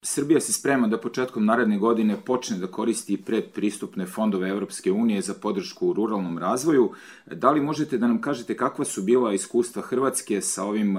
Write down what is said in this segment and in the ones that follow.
Srbija se sprema da početkom naredne godine počne da koristi predpristupne fondove Evropske unije za podršku u ruralnom razvoju. Da li možete da nam kažete kakva su bila iskustva Hrvatske sa ovim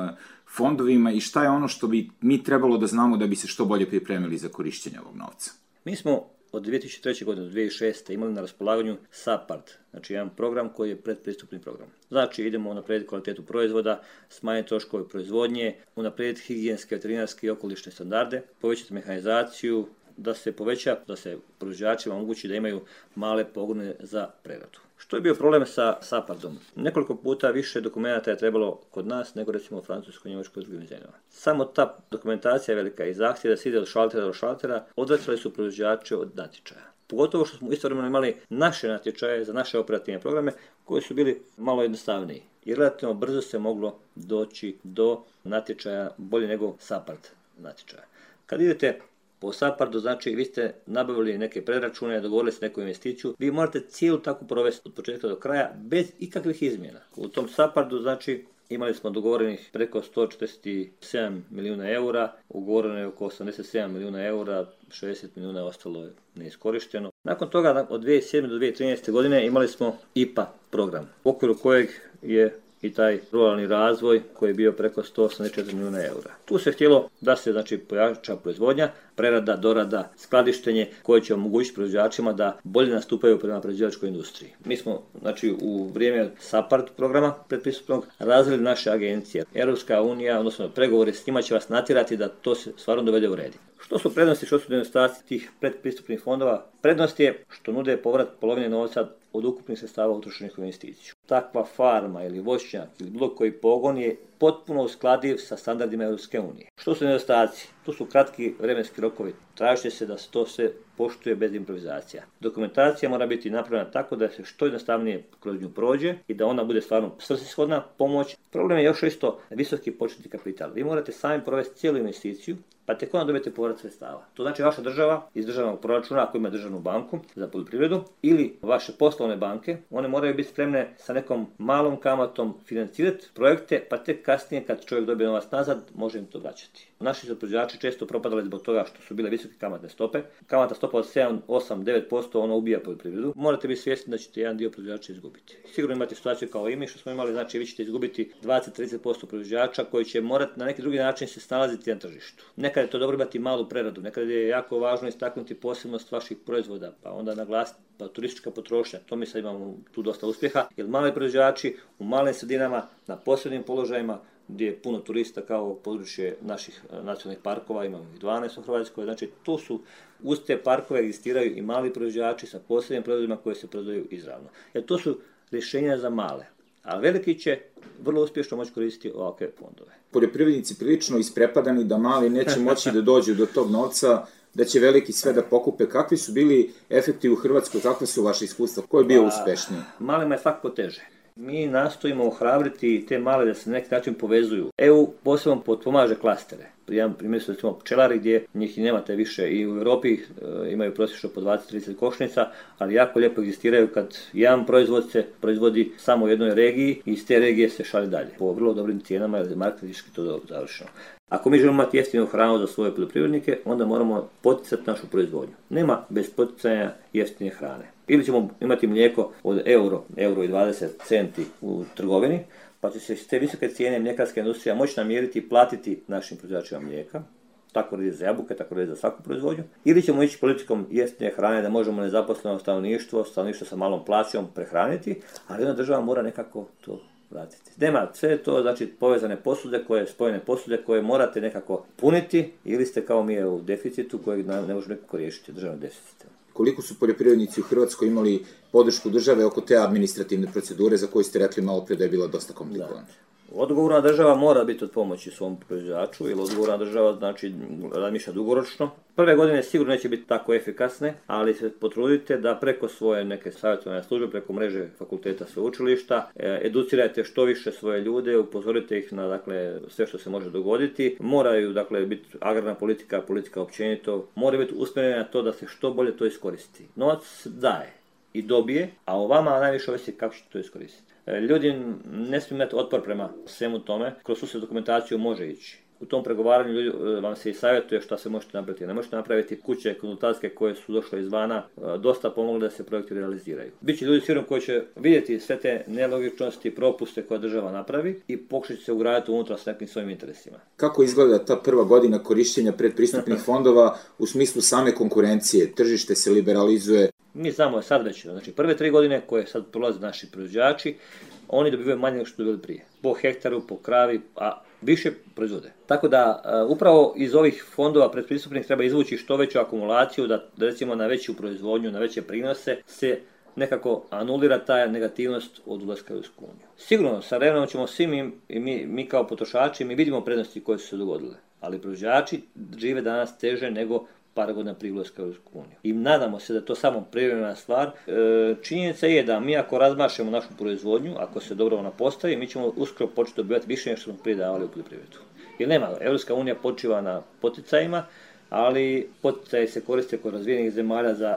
fondovima i šta je ono što bi mi trebalo da znamo da bi se što bolje pripremili za korišćenje ovog novca? Mi smo od 2003. godine do 2006. imali na raspolaganju SAPARD, znači jedan program koji je predpristupni program. Znači idemo unaprijediti kvalitetu proizvoda, smanjiti troškove proizvodnje, unaprijediti higijenske, veterinarske i okolišne standarde, povećati mehanizaciju, da se poveća, da se proizvođačima omogući da imaju male pogone za preradu. Što je bio problem sa SAPARD-om? Nekoliko puta više dokumenta je trebalo kod nas nego recimo u Francuskoj, Njemačkoj i drugim zemljama. Samo ta dokumentacija je velika i zahtjev da se ide od šaltera do šaltera odvraćali su proizvođače od natječaja. Pogotovo što smo istovremeno imali naše natječaje za naše operativne programe koji su bili malo jednostavniji. I relativno brzo se moglo doći do natječaja bolje nego SAPARD natječaja. Kad idete po SAPARD-u, znači vi ste nabavili neke predračune, dogovorili ste neku investiciju, vi morate cijelu takvu provesti od početka do kraja bez ikakvih izmjena. U tom SAPARD-u, znači, imali smo dogovorenih preko 147 milijuna eura, ugovoreno je oko 87 milijuna eura, 60 milijuna ostalo je neiskorišteno. Nakon toga, od 2007. do 2013. godine, imali smo IPA program, u okviru kojeg je i taj ruralni razvoj koji je bio preko 184 milijuna eura. Tu se htjelo da se znači pojača proizvodnja, prerada, dorada, skladištenje koje će omogućiti proizvođačima da bolje nastupaju prema proizvođačkoj industriji. Mi smo znači u vrijeme SAPARD programa predpristupnog razvili naše agencije. Europska unija, odnosno pregovori s njima će vas natjerati da to se stvarno dovede u red. Što su prednosti, što su nedostaci tih predpristupnih fondova? Prednost je što nude povrat polovine novca od ukupnih sredstava utrošenih u investiciju. Takva farma ili voćnjak ili bilo koji pogon je potpuno uskladiv sa standardima Europske unije. Što su nedostaci? Tu su kratki vremenski rokovi. Traži se da se to sve poštuje bez improvizacija. Dokumentacija mora biti napravljena tako da se što jednostavnije kroz nju prođe i da ona bude stvarno svrsishodna pomoć. Problem je još isto visoki početni kapital. Vi morate sami provesti cijelu investiciju, pa tek onda dobijete povrat sredstava. To znači vaša država iz državnog proračuna, ako ima državnu banku za poljoprivredu, ili vaše poslovne banke, one moraju biti spremne sa nekom malom kamatom financirati projekte, pa tek kasnije kad čovjek dobije novac nazad, može im to vraćati. Naši su proizvođači često propadali zbog toga što su bile visoke kamatne stope. Kamatna stopa od 7, 8, 9%, ona ubija poljoprivredu. Morate biti svjesni da ćete jedan dio proizvođača izgubiti. Sigurno imate situaciju kao i mi što smo imali, znači vi ćete izgubiti 20-30% proizvođača koji će morati na neki drugi način se snalaziti na tržištu. Nekad je to dobro imati malu preradu, nekad je jako važno istaknuti posebnost vaših proizvoda, pa onda naglasiti turistička potrošnja. To mi sad imamo tu dosta uspjeha, jer mali proizvođači u malim sredinama na posebnim položajima gdje je puno turista kao područje naših nacionalnih parkova, imamo ih 12 u Hrvatskoj, znači tu su uz te parkove egzistiraju i mali proizvođači sa posebnim proizvodima koje se prodaju izravno. Jer to su rješenja za male, a veliki će vrlo uspješno moći koristiti ovakve fondove. Poljoprivrednici prilično isprepadani da mali neće moći da dođu do tog novca, da će veliki sve da pokupe. Kakvi su bili efekti u Hrvatskoj, kakve su vaše iskustva, ko je bio uspješniji? Malima je svakako teže. Mi nastojimo ohrabriti te male da se na neki način povezuju. EU posebno potpomaže klastere. Primjer su recimo pčelari gdje njih i nemate više i u Europi imaju prosječno po 20-30 košnica, ali jako lijepo egzistiraju kad jedan proizvod se proizvodi samo u jednoj regiji i iz te regije se šalje dalje. Po vrlo dobrim cijenama jer je marketinški to završeno. Ako mi želimo imati jeftinu hranu za svoje poljoprivrednike, onda moramo poticati našu proizvodnju. Nema bez poticanja jeftine hrane. Ili ćemo imati mlijeko od euro i 20 centi u trgovini, pa će se te visoke cijene mljekarska industrija moći namiriti i platiti našim proizvođačima mlijeka. Tako radi za jabuke, tako radi za svaku proizvodnju. Ili ćemo ići politikom jeftine hrane da možemo nezaposleno stanovništvo sa malom plaćom prehraniti, ali onda država mora nekako to vratiti. Nema sve to, znači povezane posude, spojene posude koje morate nekako puniti ili ste kao mi u deficitu kojeg ne može nekako riješiti državnog deficita. Koliko su poljoprivrednici u Hrvatskoj imali podršku države oko te administrativne procedure za koju ste rekli malo prije da je bila dosta komplikovana? Odgovorna država mora biti od pomoći svom proizvođaču, jer odgovorna država znači razmišlja dugoročno. Prve godine sigurno neće biti tako efikasne, ali se potrudite da preko svoje neke savjetovane službe, preko mreže fakulteta sveučilišta, educirajte što više svoje ljude, upozorite ih na sve što se može dogoditi. Moraju biti agrarna politika općenito, mora biti usmjerena na to da se što bolje to iskoristi. Novac daje i dobije, a o vama najviše ovisi kako ćete to iskoristiti. Ljudi ne smiju imati otpor prema svemu tome, kroz sustav dokumentaciju može ići. U tom pregovaranju vam se i savjetuje šta se možete napraviti. Ne možete napraviti kuće konzultantske koje su došle izvana, dosta pomogle da se projekti realiziraju. Biće ljudi sigurno koji će vidjeti sve te nelogičnosti, propuste koje država napravi i pokušat će se ugraditi unutra s nekim svojim interesima. Kako izgleda ta prva godina korištenja predpristupnih fondova u smislu same konkurencije? Tržište se liberalizuje? Mi znamo sad već, znači prve 3 godine koje sad prolaze naši proizvođači, oni dobivaju manje nego što dobili prije. Po hektaru, po kravi, a više proizvode. Tako da upravo iz ovih fondova predpristupnih treba izvući što veću akumulaciju, da recimo na veću proizvodnju, na veće prinose se nekako anulira ta negativnost od ulaska u Europsku uniju. Sigurno, sa vremenom ćemo svi mi kao potrošači, mi vidimo prednosti koje su se dogodile, ali proizvođači žive danas teže nego par godina prije ulaska u Europsku uniju. I nadamo se da je to samo privremena stvar. Činjenica je da mi ako razmašemo našu proizvodnju, ako se dobro ona postavi, mi ćemo uskoro početi dobivati više nego što smo prije davali u poljoprivredu. Jer nema, Europska unija počiva na poticajima, ali poticaji se koriste kod razvijenih zemalja za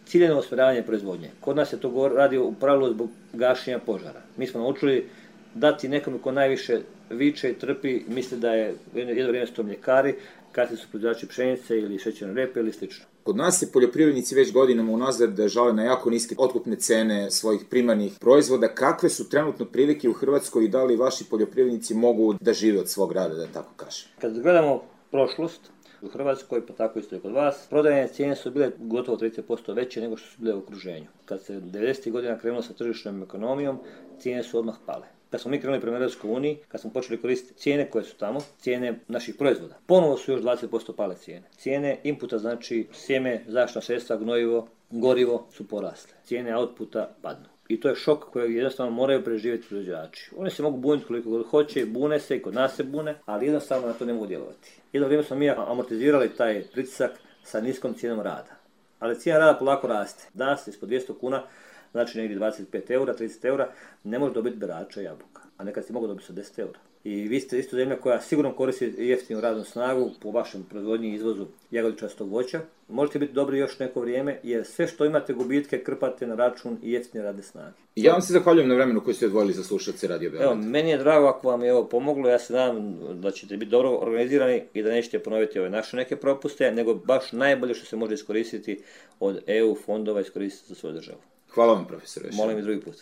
ciljeno usmjeravanje proizvodnje. Kod nas se to radi u pravilu zbog gašenja požara. Mi smo naučili dati nekome ko najviše viče i trpi, misli da je jedno vrijeme su to mljekari, kasnije su proizvođači pšenice ili šećerne repe ili slično. Kod nas se poljoprivrednici već godinama unazad žale na jako niske otkupne cene svojih primarnih proizvoda. Kakve su trenutno prilike u Hrvatskoj i da li vaši poljoprivrednici mogu da žive od svog rada, da tako kažem? Kad gledamo prošlost u Hrvatskoj, pa tako isto i kod vas, prodajne cijene su bile gotovo 30% veće nego što su bile u okruženju. Kad se 90. godina krenulo sa tržišnom ekonomijom, cijene su odmah pale. Kad smo mi krenuli prema Europskoj uniji, kad smo počeli koristiti cijene koje su tamo, cijene naših proizvoda, ponovo su još 20% pale cijene. Cijene inputa, znači sjeme, zaštitna sredstva, gnojivo, gorivo su porasle. Cijene outputa padnu. I to je šok kojeg jednostavno moraju preživjeti proizvođači. Oni se mogu buniti koliko god hoće, bune se i kod nas se bune, ali jednostavno na to ne mogu djelovati. Jedno vrijeme smo mi amortizirali taj pritisak sa niskom cijenom rada. Ali cijena rada polako raste. Danas ispod 200 kuna, znači negdje 25 eura, 30 eura, ne može dobiti berača jabuka. A nekad si mogu dobiti sa 10 eura. I vi ste isto zemlja koja sigurno koristi jeftinu radnu snagu po vašem proizvodnji i izvozu jagodičastog voća. Možete biti dobri još neko vrijeme jer sve što imate gubitke krpate na račun i jeftine radne snage. Ja vam se zahvaljujem na vremenu koje ste odvojili za slušalce Radio Beograd. Evo, meni je drago ako vam je ovo pomoglo, ja se nadam da ćete biti dobro organizirani i da nećete ponoviti ove naše neke propuste, nego baš najbolje što se može iskoristiti od EU fondova iskoristiti za svoju državu. Hvala vam, profesore. Molim i drugi put.